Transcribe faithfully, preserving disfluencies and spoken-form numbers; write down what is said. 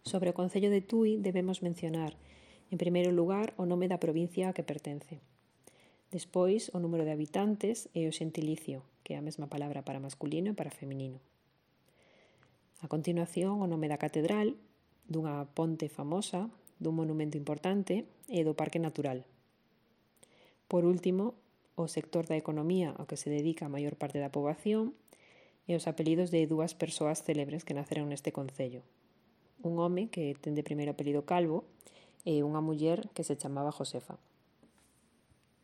Sobre o concello de Tui debemos mencionar, en primeiro lugar, o nome da provincia a que pertence. Despois, o número de habitantes e o xentilicio, que é a mesma palabra para masculino e para feminino. A continuación, o nome da catedral, dunha ponte famosa, dun monumento importante e do parque natural. Por último, o sector da economía ao que se dedica a maior parte da poboación e os apelidos de dúas persoas célebres que naceron neste concello. Un home que ten de primeiro apelido Calvo e unha muller que se chamaba Josefa.